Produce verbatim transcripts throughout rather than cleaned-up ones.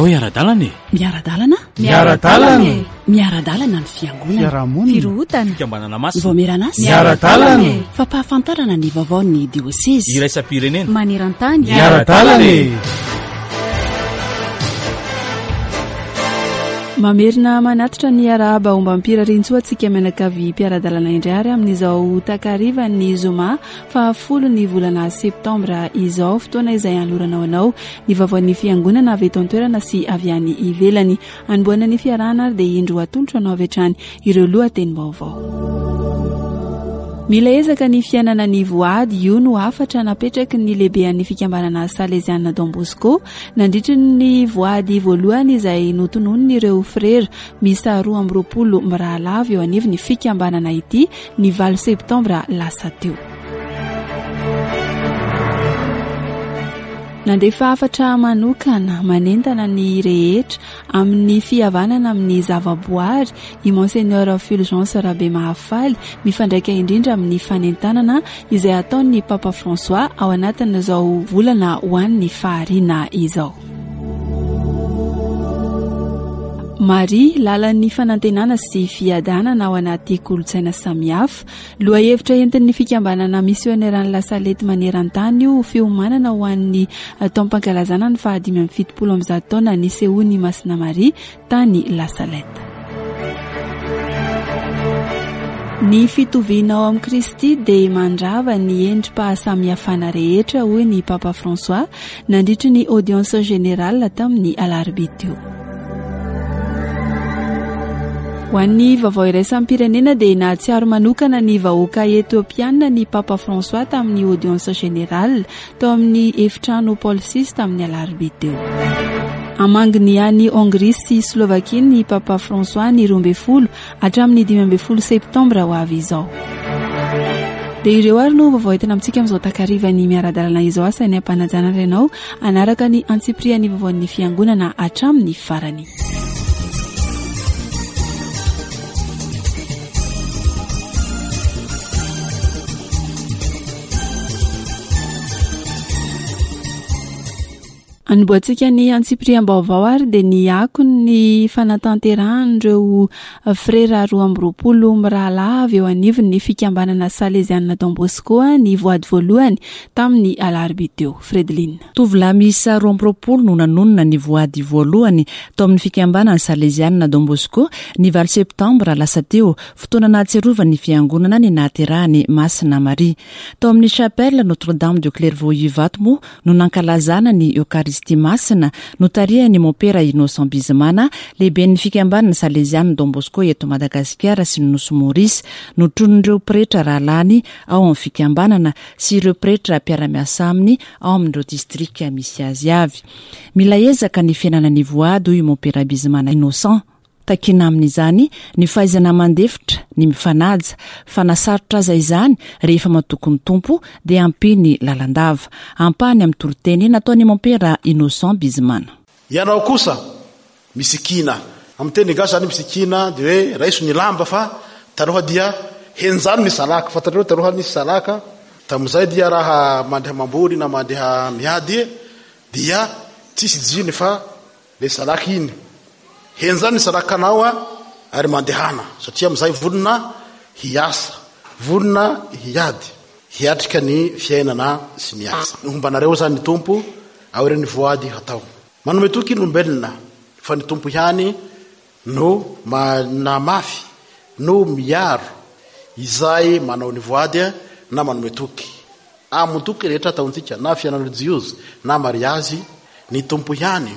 Andao hiara-dalana e! Miara-dalana? Miara-dalana e! Miara-dalana ny fiangonana. Fiarahamonina. Firohotana. Fikambanana masina. Vaomieran'asa. Miara-dalana e! Fampahafantarana ny vaovaon'ny diosezy. Iraisam-pirenena. Maneran-tany. Miara-dalana e! Mamerina manatitra ny arahaba ombam-pirariantsoa antsika mianakavy mpiara-dalana indray ary amin'izao takarivan'ny zoma fahafolo ny volana septambra izao, fotoana izay anolorana ho anao ny vaovaon'ny fiangonana avy eto an-toerana sy avy any ivelany. Anombohana ny fiarahana ary dia indro atolotra anao avy hatrany ireo lohatenim-baovao. Mila ezaka ny fiainana ny voady, io no hafatra napetraky ny lehibean'ny fikambanana Saleziana Don Bosco nandritry ny voady voalohany izay notononin'ireo frera miisa roa amby roapolo mirahalava eo anivon'ny fikambanana ity ny valo septambra lasa teo. Nandefa hafatra manokana manentana ny rehetra amin'ny fihavanana amin'ny zavaboary i Monseigneur Fulgence Rabemahafaly, mifandraika indrindra amin'ny fanentanana izay ataon'ny Papa François ao anatin'izao volana ho an'ny fahariana izao. Maria, lalan'ny fanantenana sy fiadanana ao anaty kolontsaina samihafa. Lohahevitra entin'ny fikambanana misioneran'ny La Salette maneran-tany io fiomanana ho an'ny taom-pankalazana ny fahadimy amby fitopolo amby zato taona nisehoan'i Masina Maria tany La Salette. Ny fitoviana ao amin'i Kristy dia mandrava ny endri-pahasamihafana rehetra, hoy ny Papa François nandritry ny audience générale tamin'ny alarobia teo. Ho an'ny vaovao iraisam-pirenena dia nahatsiaro manokana ny vahoaka etiopiana ny Papa François tamin'ny audience générale tao amin'ny efitrano Paul six tamin'ny alarobia teo. Hamangy any Hongrie sy Slovakia ny Papa François ny roa ambin'ny folo hatramin'ny dimy ambin'ny folo septambra ho avy izao. Dia ireo ary no vaovao entina amintsika amin'izao takarivan'ny miara-dalana izao. Asainy ampanajana ianao hanaraka ny antsipirian'ny vaovaon'ny fiangonana hatramin'ny farany. Anombohantsika ny antsipiriam-baovao ary dia ny akon'ny fanatanterahan'ireo frera roa amby roapolo mirahalahy avy eo anivon'ny fikambanana Saleziana Don Bosco ny voady voalohany tamin'ny alarobia teo. Fredeline. Tovolahy miisa roa amby roapolo no nanonona ny voady voalohany tao amin'ny fikambanana Saleziana Don Bosco ny valo septambra lasa teo, fotoana nahatsiarovan'ny fiangonana ny nahaterahany Masina Maria. Tao amin'ny chapelle Notre-Dame de Clairvaux Ivato moa no nankalazana ny Eucharistie masina notarihan'ny Mompera Innocent Bizimana, lehiben'ny fikambanana Saleziana Don Bosco eto Madagasikara sy ny Nosy Maurice, notronin'ireo pretra rahalahiny ao amin'ny fikambanana sy ireo pretra mpiara-miasa aminy ao amin'ireo distrika misy azy avy. Mila ezaka ny fiainana ny voady, hoy Mompera Bizimana Innocent. Takina amin'izany ny fahaizana mandefitra, ny mifanaja, fa na sarotra aza izany rehefa matoky ny Tompo dia ampiny lalandava. Ampahany amin'ny toriteny nataon'i Mompera Innocent Bizimana. Ianao kosa misikina. Amin'ny teny gasy zany misikina dia hoe raiso ny lamba fa taloha dia henjano ny salaka. Fantatrareo taloha nisy salaka, tamin'izay dia raha mandeha mamboly na mandeha miady dia tsisy jiny fa le salaka iny. Henjano ny salakanao ary mandehana, satria amin'izay vonona hiasa, vonona hiady, hiatrika ny fiainana sy ny asa. Hombanareo zany ny Tompo aorian'ny voady hatao. Manome toky ny olombelona fa ny Tompo ihany no manamafy, no miaro izay manao ny voady na manome toky. Amin'ny toky rehetra ataontsika, na fiainana relijiozy na mariazy, ny Tompo ihany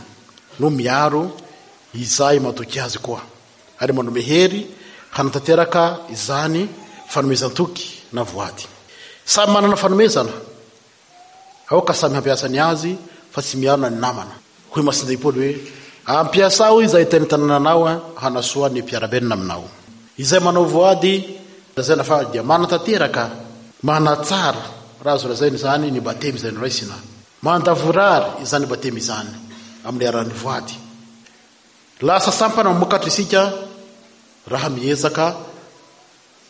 no miaro izay matoky azy koa, ary manome hery hanatanteraka izany fanomezan-toky na voady. Samy manana fanomezana, aoka samy hampiasa ny azy fa tsy miarona ny namana. Hoy Masindahy Paoly hoe ampiasao izay teny tanananao hanasoa ny mpiara-belona aminao. Izay manao voady lazaina fa dia manatanteraka, manatsara, raha azo lazaina izany ny batemy izay noraisina. Mandavorary izany batemy izany amin'ny alalan'ny voady. Lasa sampana mamokatra isika raha miezaka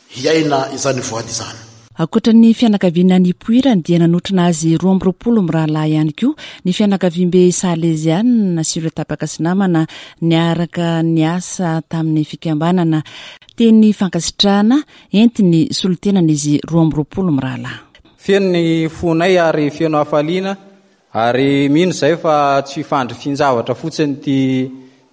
hiaina izany voady izany. Ankoatra ny fianakaviana nipoirany dia nanotrona azy roa amby roapolo mirahalahy ihany koa ny fianakaviambe salezianina sy ireo tapaka sy namana niaraka niasa tamin'ny fikambanana. Teny fankasitrahana entiny solontenan'izy roa amby roapolo mirahalahy. Feno ny fonay ary feno hafaliana ary mino izay fa tsy fandrifin-javatra fotsiny ity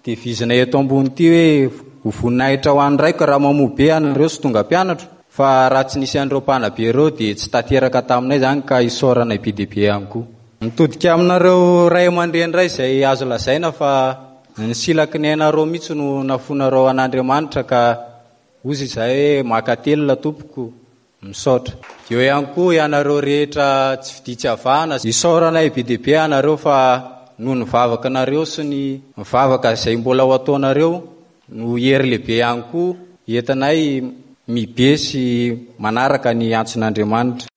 devizina eto ambony ity hoe ho voninahitra ho an'ny raiko raha mamoa be anareo sy tonga mpianatro, fa raha tsy nisy an'ireo mpanabe ireo dia tsy tanteraka taminay izany ka isaorana be dia be ihany koa. Mitodika aminareo ray aman-dreny ray izay azo lazaina fa ny silaky ny ainareo mihitsy no nafonareo an'Andriamanitra ka ozy izay hoe makatelina tompoko, misaotra. Eo ihany koa ianareo rehetra tsy fiditsy avahana, isaoranay be dia be anareo fa noho ny vavaka anareo sy ny vavaka izay mbola ho ataonareo no hery lehibe ihany koa entinay mibe sy manaraka ny antson'Andriamanitra.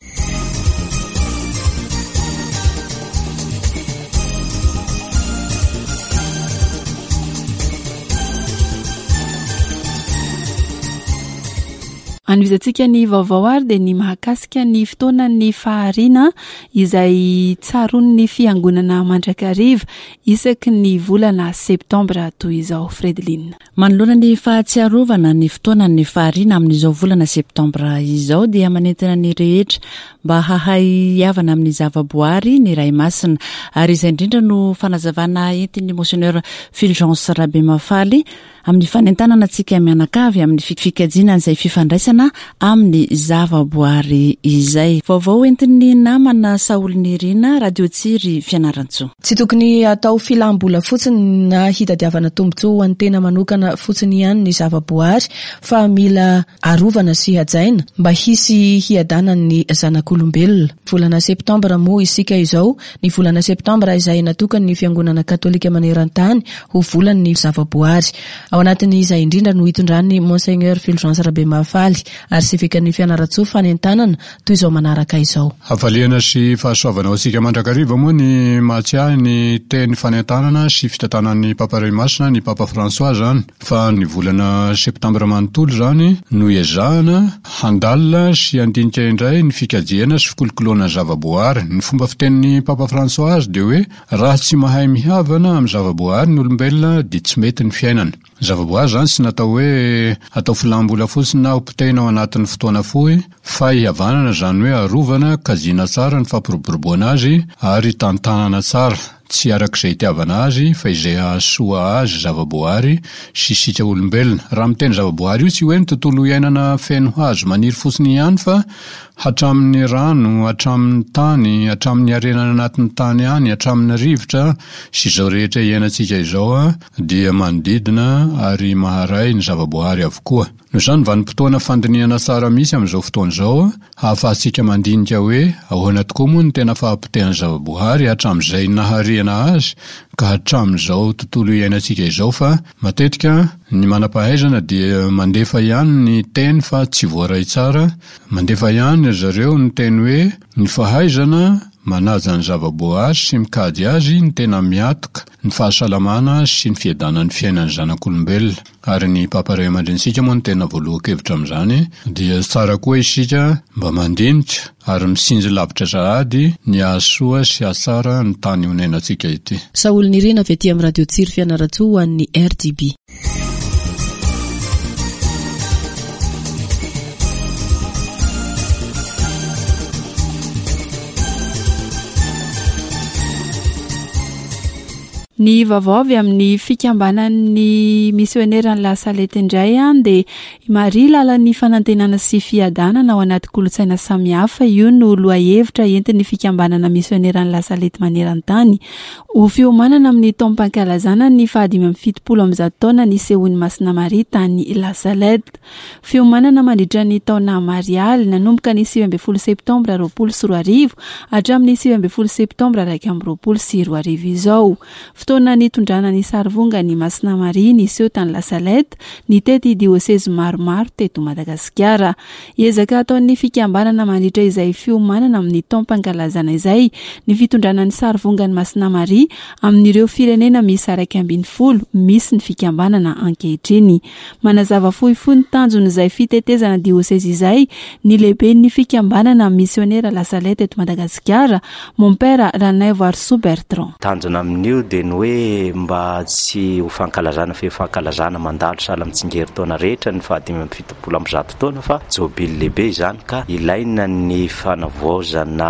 Anohizantsika ny vaovao ary dia ny mahakasika ny fotoanan'ny fahariana izay tsaroan'ny fiangonana mandrakariva isaky ny volana septambra toy izao. Fredeline. Manoloana ny fahatsiarovana ny fotoanan'ny fahariana amin'izao volana septambra izao dia manentana ny rehetra mba hahay hihavana amin'ny zavaboary ny Ray Masina, ary izay indrindra no fanazavana entin'ny Monseigneur Fulgence Rabemafaly amin'ny fanentanana antsika mianakavy amin'ny fikajiana izay fifandraisana amin'ny zavaboary izay. Vaovao entin'ny namana Saolinirina, Radio Tsiry Fianarantsoa. Tsy tokony atao filam-bola fotsiny na hitadiavana tombontsoa ho an'ny tena manokana fotsiny ihany ny zavaboary, fa mila arovana sy hajaina mba hisy hiadanan'ny zanak'olombelona. Volana septambra moa isika izao, ny volana septambra izay natokan'ny fiangonana katolika maneran-tany ho volan'ny zavaboary. Ao anatin'izay indrindra no hitondran'ny Monseigneur Fulgence Rabemafaly arsevekan'ny Fianarantsoa fanentanana toy izao manaraka izao. Hafaliana sy fahasoavana ho antsika mandrakariva moa ny mahatsiahy ny teny fanentanana sy fitantanan'ny Papa Ray Masina, ny Papa François zany, fa ny volana septambra manontolo zany no ezahana handalina sy handinika indray ny fikajiana sy fikolokoloana zavaboary. Ny fomba fitenin'ny Papa François azy dia hoe raha tsy mahay mihavana amin'ny zavaboary ny olombelona dia tsy mety ny fiainana. Zavaboary zany tsy natao hoe atao filam-bola fotsiny na hopotehina ao anatin'ny fotoana fohy, fa hihavanana zany hoe arovana, kajiana tsara ny fampiroboroboana azy ary tantanana tsara, tsy arak'izay itiavana azy fa izay hahasoa azy zavaboary sy isika olombelona. Raha miteny zavaboary io tsy hoe ny tontolo iainana feno hazo maniry fotsiny ihany fa hatramin'ny rano, hatramin'ny tany, hatramin'ny harena anatin'ny tany any, hatramin'ny rivotra sy izao rehetra iainantsika izao dia manodidina ary maharay ny zavaboary avokoa. Noho izany vanim-potoana fandinihana tsara misy amin'izao fotoana izao ahafahantsika mandinika hoe ahoana tokoa moa ny tena fahapotehan'ny zavaboary hatramin'izay nahariana azy ka hatramin'izao tontolo iainantsika izao, fa matetika ny manam-pahaizana dia mandefa ihany ny teny fa tsy voaray tsara, mandefa ihany zareo ny teny hoe ny fahaizana manaja ny zavaboary sy mikajy azy ny tena miatoka ny fahasalamana sy ny fiadanan'ny fiainan'ny zanak'olombelona. Ary ny Papa Ray aman-drenintsika moa no tena voalohan-kevitra amin'izany, dia tsara koa isika mba mandinika ary misinjo lavitra sahady ny hahasoa sy hahatsara ny tany honenantsika ity. Saolinirina avy aty amin'ny Radio Tsiry Fianarantsoa ho an'ny R D B. Ny vaovao avy amin'ny fikambanan'ny misioneran'ny La Salette indray dia Maria lalan'ny fanantenana sy fiadanana ao anaty kolontsaina samihafa. Io no lohahevitra entin'ny fikambanana misioneran'ny La Salette maneran-tany ho fiomanana amin'ny taom-pankalazana ny fahadimy amby fitopolo amby zato taona nisehoan'i Masina Maria tany La Salette. Fiomanana mandritra ny taona marialy nanomboka ny sivy ambin'ny folo septambra roapolo sy roa arivo hatramin'ny sivy ambin'ny folo septambra iraika amby roapolo sy roa arivo izao. Fotoana nitondrana ny sarivongan'i Masina Maria niseho tany La Salette, nitety diosezy maromaro teto Madagasikara. Ezaka ataon'ny fikambanana mandritra izay fiomanana amin'ny taom-pankalazana izay ny fitondrana ny sarivongan'i Masina Maria amin'ireo firenena miisa iraika ambin'ny folo misy ny fikambanana ankehitriny. Manazava fohifohy ny tanjon'izay fitetezana diosezy izay ny lehiben'ny fikambanana misionera La Salette eto Madagasikara, Mompera Ranaivoarisoa Bertrand. Tanjona amin'io dia ny hoe mba tsy ho fankalazana fe fankalazana mandalo sahala amin'ny tsingerin-taona rehetra ny fahadimy amby fitopolo amby zato taona fa jobily lehibe izany ka ilaina ny fanavaozana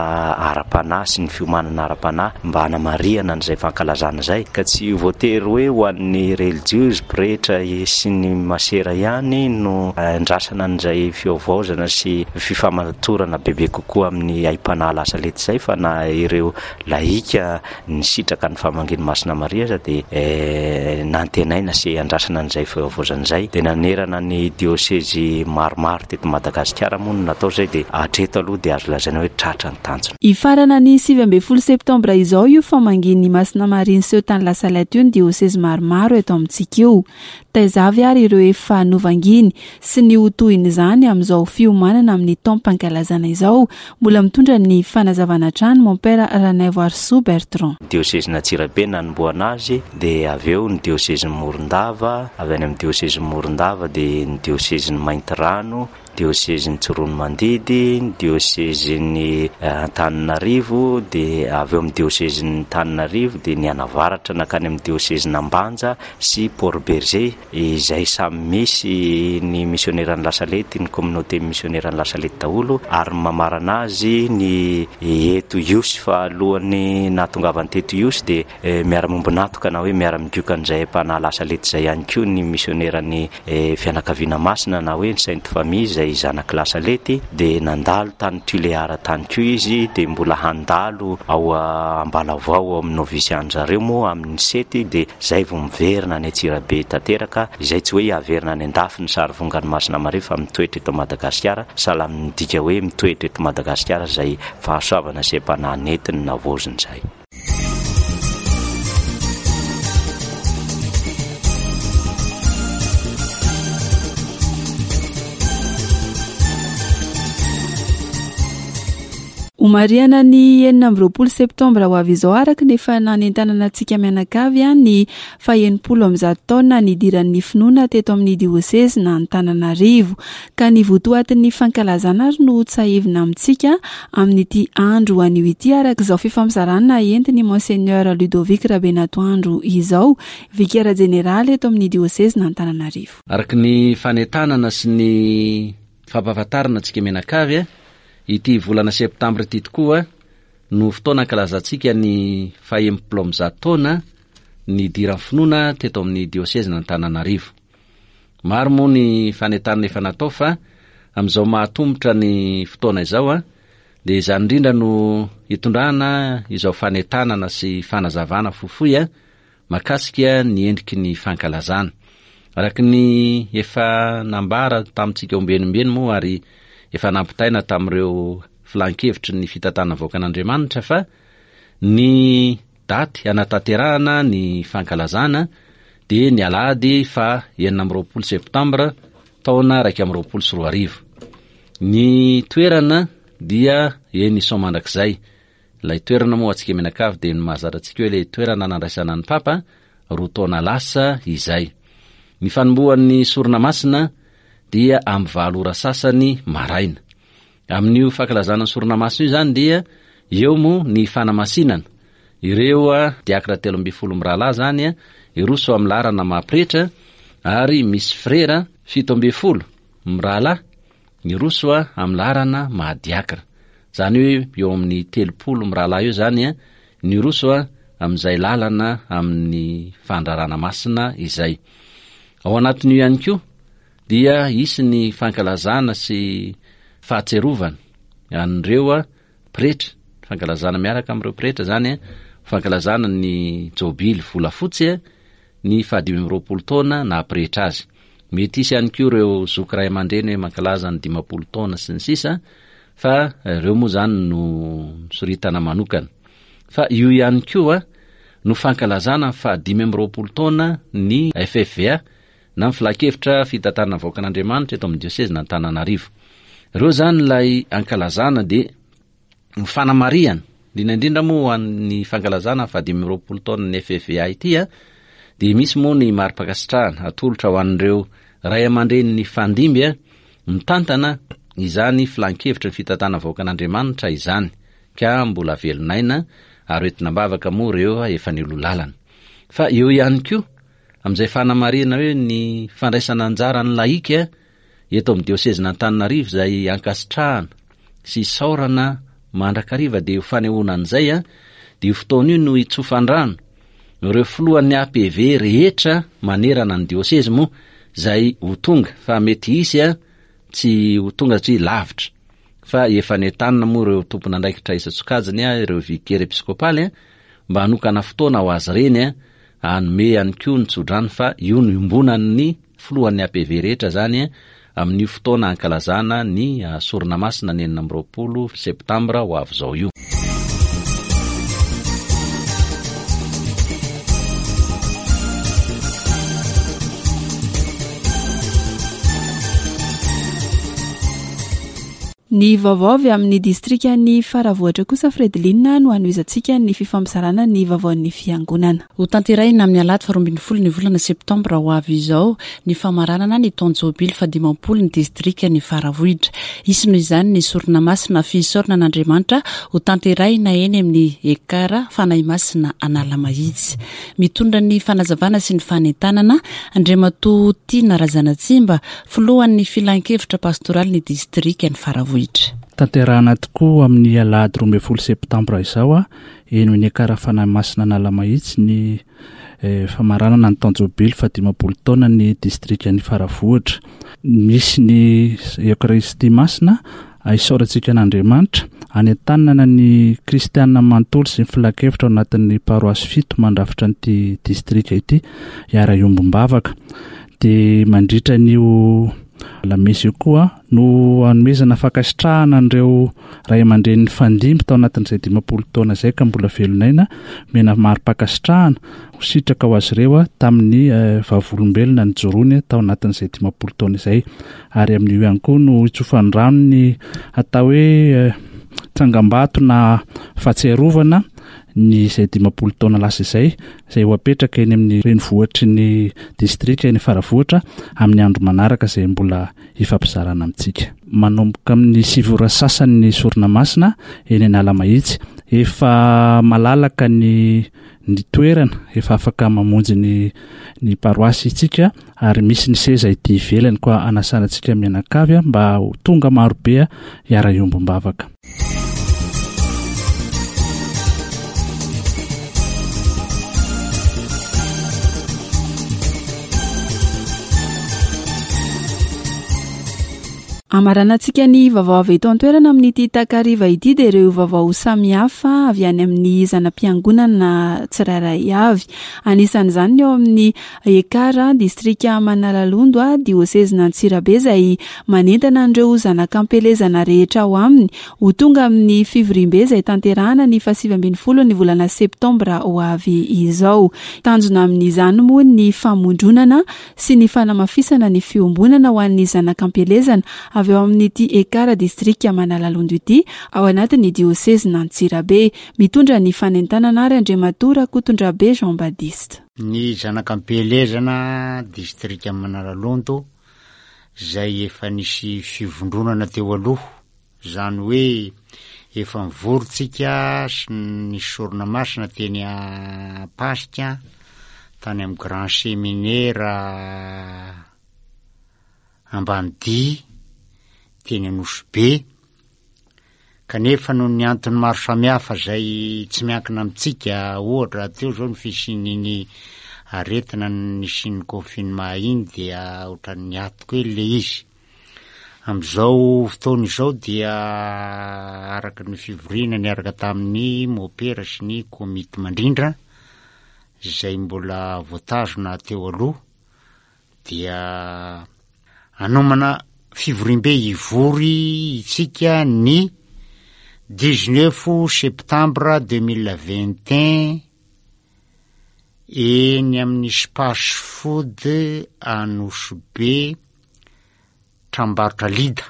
ara-panahy sy ny fiomanana ara-panahy mba hanamarihana an'izay fankalazana izay ka tsy voatery hoe ho an'ny relijiozy pretra sy ny masera ihany no andrasana an'izay fiovaozana sy fifamatorana bebe kokoa amin'ny aim-panahy La Salette izay fa na ireo lahika nisitraka ny famangian'i Masina Maria aza dia nantenaina sy andrasana an'izay fiovaozana izay. Dia nanerana ny diosezy maromaro teto Madagasikara moa no natao izay dia hatreto aloha dia azo lazaina hoe tratra ny tanjona. Hifarana ny sivy ambin'ny folo septambra izao io famangian'i Masina Maria niseho tany La Salette io ny diosezy maromaro eto amintsika io. Taiza avy ary ireo efa novanginy sy ny ho tohin'izany amin'izao fiomanana amin'ny taom-pankalazana izao. Mbola mitondra ny fanazavana hatrany Mompera Ranaivoarisoa Bertrand. Diosezin'i Antsirabe nanombohana azy dia avy eo ny diosezin'i Morondava, avy any amin'ny diosezin'i Morondava dia ny diosezin'i Maintirano, diosezin'i Tsiroanomandidy, ny diosezin'i Antananarivo, dia avy eo amin'ny diosezin'i Antananarivo dia ny anavaratra nankany amin'ny diosezin'Ambanja sy Port-Bergé izay samy misy ny misioneran'ny La Salette, ny communauté misioneran'ny La Salette daholo ary mamarana azy ny eto Ihosy fa alohan'ny nahatongavany teto Ihosy dia miara-mombonatoka na hoe miara-migoka an'izay mpanahy La Salette izay ihany koa ny misioneran'ny fianakaviana masina na hoe ny Sainte Famille izay zanak'i La Salette dia nandalo tany Tuléar tany koa izy dia mbola handalo ao Ambalavao ao amin'ny novisian-jareo moa amin'ny sety dia izay vao miverina any Antsirabe tanteraka izay tsy hoe haverina any an-dafy ny sarivongan'i Masina Maria fa mitoetra eto Madagasikara sahala amin'ny midika hoe mitoetra eto Madagasikara izay fahasoavana sy aim-panahy nentiny navaoziny izay. Homarihana ny enina amby roapolo septambra ho avy izao araka ny efa nanentanana antsika mianakavy ny faha-enimpolo amby zato taona nidiran'ny finoana teto amin'ny diosezy na Antananarivo. Ka ny votoatin'ny fankalazana ary no tsiahivina amintsika amin'ity andro anio ity araka izao fifampizarana entin'i Monseigneur Ludovic Rabenatoandro izao, vikera jeneraly eto amin'ny diosezy na Antananarivo. Araka ny fanentanana sy ny fampahafantarana antsika mianakavy, ity volana septambra ity tokoa no fotoana ankalazantsika ny faha-enimpolo amby zato taona nidiran'ny finoana teto amin'ny diosezy Antananarivo. Maro moa ny fanentanana efa natao fa amin'izao mahatomotra ny fotoana izao a dia izany indrindra no hitondrana izao fanentanana sy fanazavana fohifohy a mahakasika ny endriky ny fankalazana. Araka ny efa nambara tamintsika ombienimbeny moa ary efa nampitaina tamin'ireo filan-kevitry ny fitantanana vahoakan'Andriamanitra fa ny daty anatanterahana ny fankalazana dia ny alahady fa enina amby roapolo septambra taona iraika amby roapolo sy roa arivo. Ny toerana dia eny Soamandrakizay. Ilay toerana moa antsika mianakavy dia ny mahazatra antsika hoe ilay toerana nandraisana ny Papa roa taona lasa izay. Ny fanombohan'ny sorona masina dia amin'ny valo ora sasany maraina. Amin'io fankalazana ny sorona masina io izany dia eo moa ny fanamasinana. Ireo diakra telo ambin'ny folo mirahalahy izany hiroso amin'ny laharana maha-pretra ary misy frera fito ambin'ny folo mirahalahy hiroso amin'ny laharana maha-diakra. Izany hoe eo amin'ny telopolo mirahalahy eo izany niroso amin'izay lalana amin'ny fandrarana masina izay. Ao anatin'io ihany koa dia hisy ny fankalazana sy fahatserovana an'ireo pretra, fankalazana miaraka amin'ireo pretra izany, fankalazana ny jobily volafotsy ny fahadimy amby roapolo taona naha-pretra azy. Mety hisy ihany koa ireo zoky ray aman-dreny hoe mankalaza ny dimampolo taona sy ny sisa, fa ireo moa izany no soritana manokana. Fa io ihany koa no fankalazana ny fahadimy amby roapolo taona ny F F V A na ny Filankevitra Fitantanana Vahoakan'Andriamanitra eto amin'ny diosezin'Antananarivo. Ireo izany ilay ankalazana dia ny fanamarihana, indrindra indrindra moa ho an'ny fankalazana ny fahadimy amby roapolo taona ny F F V A ity, a, dia misy moa ny mari-pankasitrahana atolotra ho an'ireo ray aman-dreny ny fandimby, a, mitantana izany filankevitra ny fitantanana vahoakan'Andriamanitra izany, ka mbola velon'aina ary hoentina am-bavaka moa ireo efa nialoha lalana. Fa eo ihany koa, amin'izay fanamarihana hoe ny fandraisana anjara ny laika eto amin'ny diosezin'Antananarivo izay ankasitrahana sy isaorana mandrakariva, dia io fanehoana an'izay, a, dia io fotoana io no hitsofan-drano ireo filohan'ny A P V rehetra manerana ny diosezy moa izay ho tonga, fa mety hisy, a, tsy ho tonga satria lavitra, fa efa nentanina moa ireo tompon'andraikitra isan-tsokajiny, a, ireo vicaire episkopaly, a, mba hanokana fotoana ho azy ireny, a, hanome ihany koa ny tsodrano, fa io no iombonan'ny filohan'ny A P V rehetra zany, a, amin'io fotoana ankalazana ny, a, sorona masina ny enina amby roapolo septambra ho avy izao io. Ny vaovao avy amin'ny distrikan'ny Faravohitra kosa, Fredeline, no hanohizantsika ny fifampizarana ny vaovaon'ny fiangonana. Ho tanterahina amin'ny alahady faharoa ambin'ny folo ny volana septambra ho avy izao ny famaranana ny taon-jobily fahadimampolo ny distrikan'ny Faravohitra. Hisy noho izany ny sorona masina fisaorana an'Andriamanitra ho tanterahina eny amin'ny Ekara Fanahy Masina Analamahitsy. Mitondra ny fanazavana sy ny fanentanana Andriamatoa Tiana Razanatsimba, filohan'ny filankevitra pastoraly ny distrikan'ny Faravohitra. Tanterahana tokoa amin'ny alahady roa ambin'ny folo septambra izao, a, eny amin'ny Ekara Fanahy Masina Analamahitsy ny, eh, famaranana ny taon-jobily fahadimampolo taona ny distrikan'ny Faravohitra. Misy ny Eokaristia Masina, isaorantsika an'Andriamanitra, anentanana ny kristianina manontolo sy ny filankevitra ao anatin'ny paroasy fito mandrafitra an'ity distrika ity hiara-hiombom-bavaka. Dia mandritra an'io lamesa io koa no hanomezana fankasitrahana an'ireo ray aman-dreny nifandimby tao anatin'izay dimampolo taona izay ka mbola velon'aina, omena mari-pankasitrahana ho sitraka ho azy ireo, a, tamin'ny, eh, vavolombelona nijoroany tao anatin'izay dimampolo taona izay. Ary amin'io ihany koa no hitsofan-drano ny atao hoe, eh, tsangambato na fahatsiarovana ny izay dimampolo taona lasa izay, izay ho apetraka eny amin'ny renivohitry ny distrika eny Faravohitra amin'ny andro manaraka izay mbola hifampizarana amintsika. Manomboka amin'ny sivy ora sasany ny sorona masina eny Analamahitsy. Efa malalaka ny, ny toerana, efa afaka mamonjy ny, ny paroasy isika, ary misy ny seza ety ivelany koa anasana antsika mianakavy, a, mba ho tonga marobe hiara-hiombom-bavaka. Amaranantsika ny vaovao avy eto an-toerana amin'ity takariva ity dia ireo vaovao samihafa avy any amin'ny zana-piangonana tsirairay avy. Anisan'izany ny eo amin'ny Ekara, distrika Manalalondo, a, diosezin'Antsirabe, izay manentana an'ireo zanak'ampelezana rehetra ao aminy ho tonga amin'ny fivoriambe izay tanterahana ny fahasivy ambin'ny folo ny volana septambra ho avy izao. Tanjona amin'izany moa ny famondronana sy ny fanamafisana ny fiombonana ho an'ny zanak'ampelezana avy eo amin'ity Ekara distrika Manalalondo ity ao anatin'ny diosezin'Antsirabe. Mitondra ny fanentanana ary Andriamatoa Rakotondrabe Jean Baptiste. Ny zanak'ampelezana distrika Manalalondo izay efa nisy fivondronana teo aloha, izany hoe efa nivorontsika sy ny sorona masina teny Ampasika, tany amin'ny Grand Séminaire Ambanidia, teny Anosibe, kanefa noho ny antony maro samihafa izay tsy miankina amintsika, ohatra teo izao ny fisian'iny aretina nisian'ny confinement iny dia ohatran'ny niato kely ilay izy. Amin'izao fotoana izao dia araka ny fivoriana niaraka tamin'ny mopera sy ny komity mandrindra izay mbola voatazona teo aloha dia hanomana fivoriambe hivory isika ny dix-neuf septembre deux mille vingt et un eny amin'ny Space Food Anosibe Tranombarotra Lida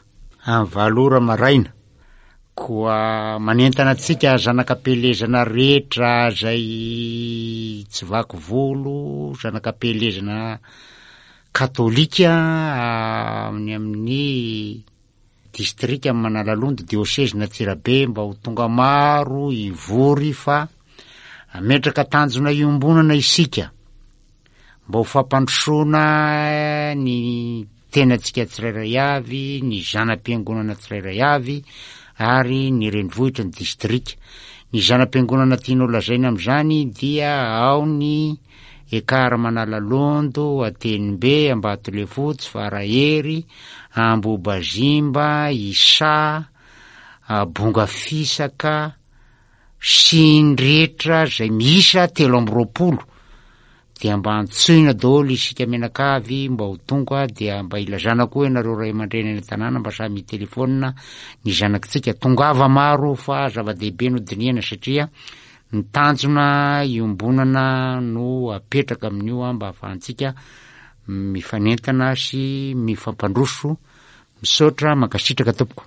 amin'ny valo ora maraina. Koa manentana antsika zanak'ampielezana rehetra izay tsy vaky volo, zanak'ampielezana katolika amin'ny amin'ny distrika Manalalondo, diosezina Antsirabe, mba ho tonga maro hivory fa hametraka tanjona iombonana isika mba ho fampandrosoana ny tenantsika tsirairay avy, ny zana-piangonana tsirairay avy ary ny renivohitra ny distrika. Ny zana-piangonana tianao lazaina amin'izany dia ao ny Ekar Manalalondo, Atenimbe, Ambatolefotsy, Farahery, Ambobazimba, Isa, Bongafisaka sy ny rehetra izay miisa telo amby roapolo. Dia mba antsoina daholo isika mianakavy mba ho tonga, dia mba ilazana koa ianareo ray aman-dreny any an-tanàna mba samy hitelefaonina ny zanakitsika. Tongava maro fa zava-dehibe no dinihana satria ny tanjona iombonana no apetraka amin'io mba ahafahantsika mifanentana sy mifampandroso. Misaotra, mankasitraka tompoko.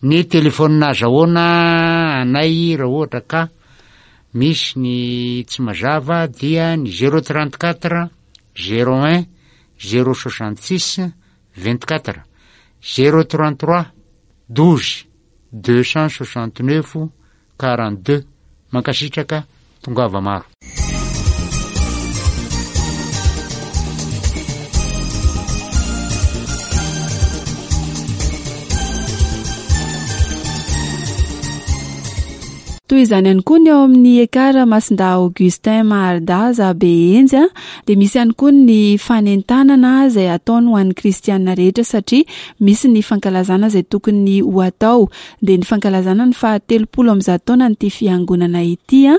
Ny telefaonina azahoana anay raha ohatra ka misy ny tsy mazava dia ny zéro trente quatre zéro un zéro soixante six vingt quatre, zéro trente trois douze deux cent soixante neuf quarante deux. Mankasitraka, tongava maro. Toy izany ihany koa ny ao amin'ny Ekar Masindahy Augustin Maharidaza Behenjy, dia misy ihany koa ny fanentanana izay ataony ho an'ny kristiana rehetra satria misy ny fankalazana izay tokony ho atao, dia ny fankalazana ny fahatelopolo amby zato taonan'ity fiangonana ity,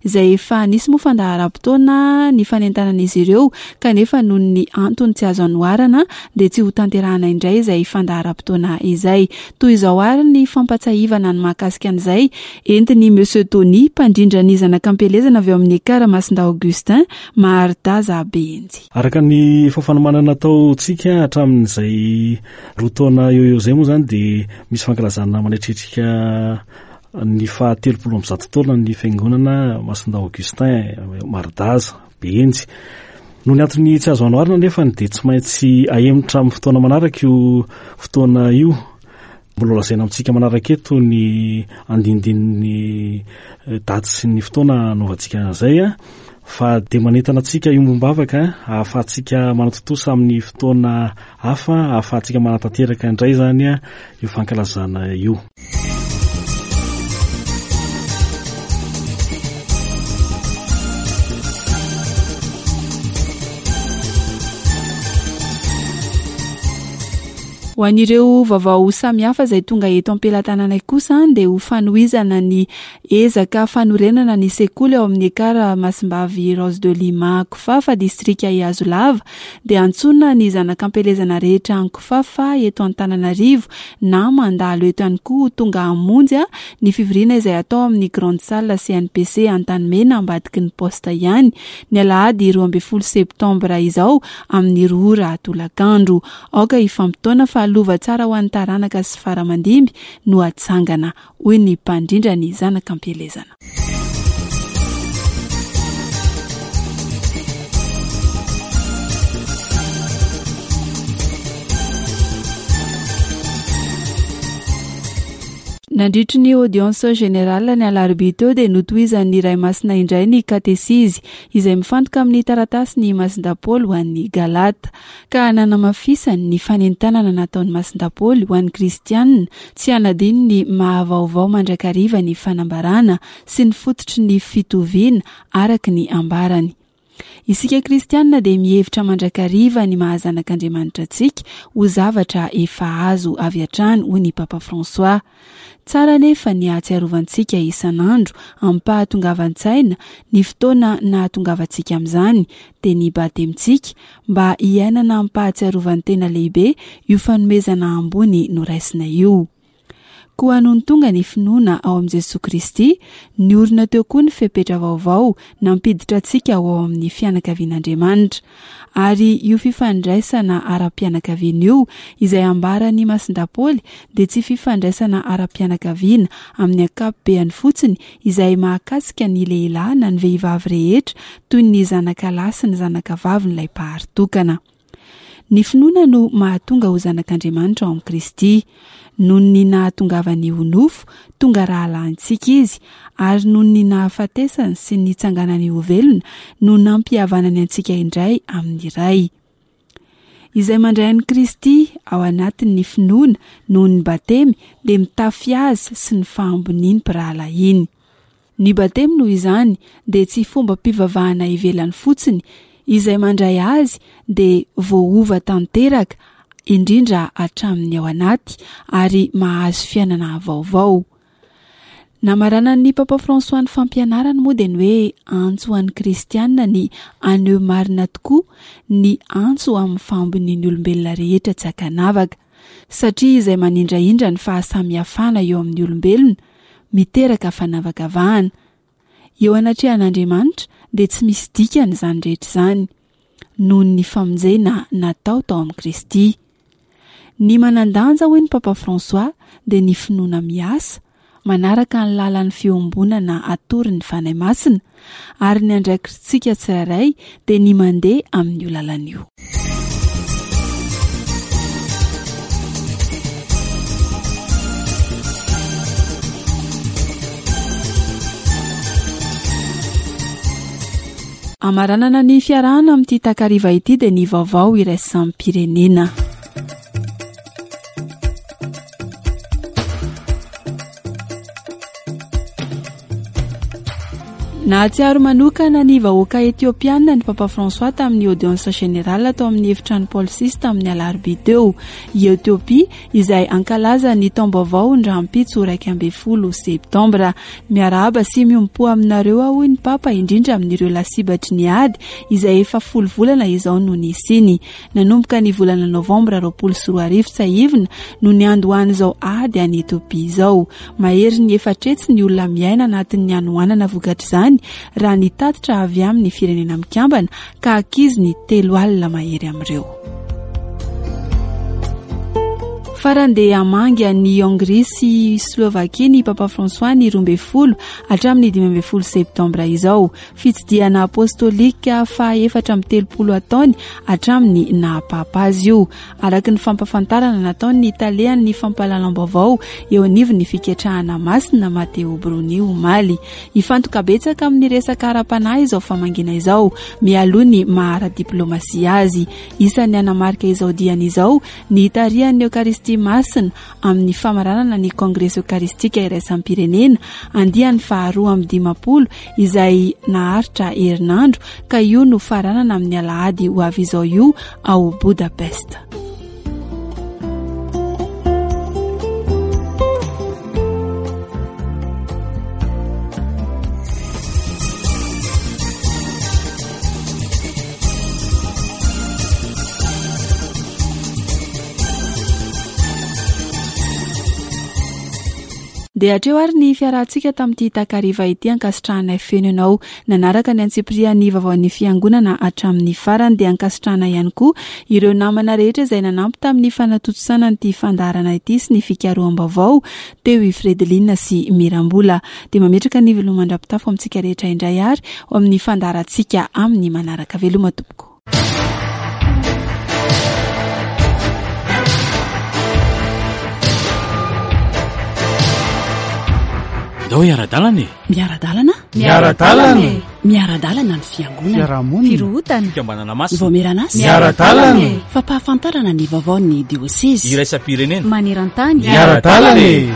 izay efa nisy moa fandaharam-potoana ny fanentanan'izy ireo, kanefa noho ny antony tsy azo anoharana dia tsy ho tanterahana indray izay fandaharam-potoana izay. Toy izao ary ny fampatsiahivana ny mahakasika an'izay entin'ny Monsieur Tony, mpandrindra ny zanak'ampielezana avy ao amin'ny Ekar Masindahy Augustin Maharidaza Behenjy. Araka ny efa fanomanana nataontsika hatramin'izay roa taona eo eo izay moa izany dia misy fankalazana manetritrika ny fahatelopolo amby zato taona ny fiangonana Masindahy Augustin Maharidaza Behenjy. Noho ny antony tsy azo anoharina nefa dia tsy maintsy ahemotra amin'ny fotoana manaraka io fotoana io. Mbola lazaina amintsika manaraka eto ny andindinin'ny daty sy ny fotoana anaovantsika an'izay, fa dia manentana antsika iombom-bavaka ahafahantsika manatontosa amin'ny fotoana hafa, ahafahantsika manatanteraka indray izany io fankalazana io. Ho an'ireo vaovao samihafa izay tonga eto am-pelatananay kosa dia ho fanohizana ny ezaka fanorenana ny sekoly ao amin'ny Ekar Masimbavy Rose de Lima Ankofafa, distrika Ihazolava, dia antsoina ny zanak'ampielezana rehetra Ankofafa eto Antananarivo na mandalo eto ihany koa ho tonga hamonjy ny fivoriana izay atao amin'ny Grande Salle C N P C Antanimena ambadiky ny poste ihany ny alahady roa ambin'ny folo septambra izao amin'ny roa ora tolakandro. Aoka hifampitaona fa lova tsara ho an'ny taranaka sy faramandimby no atsangana, hoy ny mpandrindra ny zanak'ampielezana. Nandritry ny audience générale ny alarobia teo dia notohizan'ny Ray Masina indray ny katesizy izay mifantoka amin'ny taratasy ny Masindahy Paoly ho an'ny Galata, ka nanamafisany ny fanentanana nataon'ny Masindahy Paoly ho an'ny Kristianina tsy hanadino ny mahavaovao mandrakariva ny fanambarana sy ny fototry ny fitoviana araka ny ambarany. Isika Kristianina dia mihevitra mandrakariva ny maha zanak'Andriamanitra antsika ho zavatra efa azo avy hatrany, hoy ny Papa François. Tsara nefa ny hahatsiarovantsika isan'andro amim-pahatongavan-tsaina ny fotoana nahatongavantsika amin'izany, dia ny batemintsika, mba hiainana amim-pahatsiarovan-tena lehibe io fanomezana ambony noraisina io. Koa nony tonga ny finoana ao amin'i Jesoa Kristy, niorina teo koa ny fepetra vaovao nampiditra antsika ho ao amin'ny fianakavian'Andriamanitra. Ary io fifandraisana ara-pianakaviana io, izay ambaran'i Masindahy Paoly, dia tsy fifandraisana ara-pianakaviana amin'ny ankapobeany fotsiny izay mahakasika ny lehilahy na ny vehivavy rehetra toy ny zanaka lahy sy ny zanaka vavin'ilay Mpahary tokana. Ny finoana no mahatonga ho zanak'Andriamanitra ao amin'i Kristy. Noho ny nahatongavany ho nofo, tonga rahalahintsika izy, ary noho ny nahafatesany sy ny nitsanganany ho velona no nampihavanany antsika indray amin'ny Ray. Izay mandray an'i Kristy ao anatin'ny finoana noho ny batemy dia mitafy azy sy ny fahamboniany mpirahalahiny. Ny batemy noho izany dia tsy fombam-pivavahana ivelany fotsiny, izay mandray azy dia voaova tanteraka, indrindra hatramin'ny ao anaty, ary mahazo fiainana vaovao. Namaranan'ny Papa François ny fampianarany moa dia ny hoe antso ho an'ny kristianina ny haneho marina tokoa ny antso amin'ny fahambonian'ny olombelona rehetra tsy ankanavaka, satria izay manindrahindra ny fahasamihafana eo amin'ny olombelona miteraka fanavakavahana. Eo anatrehan'Andriamanitra dia tsy misy dikany izany rehetra izany, noho ny famonjena natao tao amin'i Kristy. Ny manan-danja, hoy ny Papa François, dia ny finoana miasa, manaraka ny lalan'ny fiombonana atoron'ny Fanahy Masina, ary ny andraikitsika tsirairay dia ny mandeha amin'io lalana io. Amaranana ny fiarahana amin'ity takariva ity dia ny vaovao iraisam-pirenena. Nahatsiaro manokana ny vahoaka etiopiana ny Papa François tamin'ny audience générale tao amin'ny efitrano Paul six tamin'ny alarobia teo. I Etiopia izay ankalaza ny taom-baovao ny rahampitso iraika ambin'ny folo septambra. Miarahaba sy miombom-po aminareo aho, hoy ny Papa, indrindra amin'ireo lasibatry ny ady izay efa folo volana izao no nisiany. Nanomboka ny volana novambra roapolo sy roa arivo tsiahivina no niandohan'izao ady any Etiopia izao. Maherin'ny efatra hetsy ny olona miaina anatin'ny hanoanana vokatr'izany raha ny tatitra avy amin'ny firenena mikambana ka ankizy ny telo alina mahery amin'ireo. Farany dia hamangy an'i Hongria sy Slovakia ny Papa François ny roa ambin'ny folo hatramin'ny dimy ambin'ny folo septambra izao. Fitsidihana apostolika faha efatra amby telopolo ataony hatramin'ny naha-papa azy io. Araka ny fampahafantarana nataon'ny talehan'ny fampahalalam-baovao eo anivon'ny fiketrahana masina Matteo Bruni omaly. Hifantoka betsaka amin'ny resaka ara-panahy izao famangiana izao, mialoha ny maha ara-diplaomasia azy. Isan'ny hanamarika izao diany izao ny hitarihan'ny Eokaristia Masina amin'ny famaranana ny Kongresy Eokaristika Iraisam-pirenena andiany faharoa amby dimampolo izay naharitra herinandro ka io no faranana amin'ny alahady ho avy izao io ao Budapest. Dia hatreo ary ny fiarahantsika tamin'ity takariva ity. Ankasitrahanay feno ianao nanaraka ny antsipirian'ny vaovaon'ny fiangonana hatramin'ny farany. Dia ankasitrahana ihany koa ireo namana rehetra izay nanampy tamin'ny fanatontosana an'ity fandaharana ity sy ny fikaroham-baovao teo i Fredeline sy Mirambola. Dia mametraka ny veloma mandra-pitafo amintsika rehetra indray ary ho amin'ny fandaharantsika amin'ny manaraka. Veloma tompoko. Ndao hiara-dalana e! Miara-dalana? Miara-dalana e! Miara-dalana ny fiangonana. Fiarahamonina. Firohotana. Fikambanana masina. Vaomieran'asa. Miara-dalana e! Fampahafantarana ny vaovaon'ny diosezy. Iraisam-pirenena. Maneran-tany. Miara-dalana e!